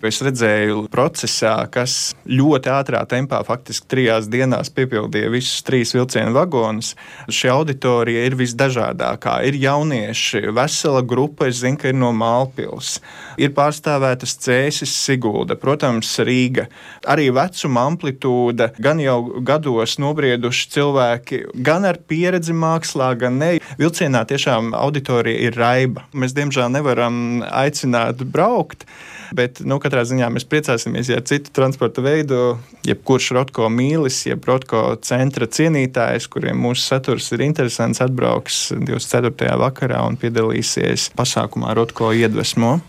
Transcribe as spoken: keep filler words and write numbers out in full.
Es redzēju procesā, kas ļoti ātrā tempā, faktiski trijās dienās piepildīja visus trīs vilcienu vagonus. Šī auditorija ir visdažādākā. Ir jaunieši, vesela grupa, es zinu, ka ir no Mālpils. Ir pārstāvētas Cēsis, Sigulda, protams, Rīga. Arī vecuma amplitūda, gan jau gados nobrieduši cilvēki, gan ar pieredzi mākslā, gan ne. Vilcienā tiešām auditorija ir raiba. Mēs, diemžēl, nevaram aicināt braukt, bet nu, katrā ziņā mēs priecāsimies, ja ar citu transporta veidu, jebkurš Rotko mīlis, jeb Rotko centra cienītājs, kuriem mūsu saturs ir interesants, atbrauks divdesmit ceturtajā vakarā un piedalīsies pasākumā Rotko iedvesmo.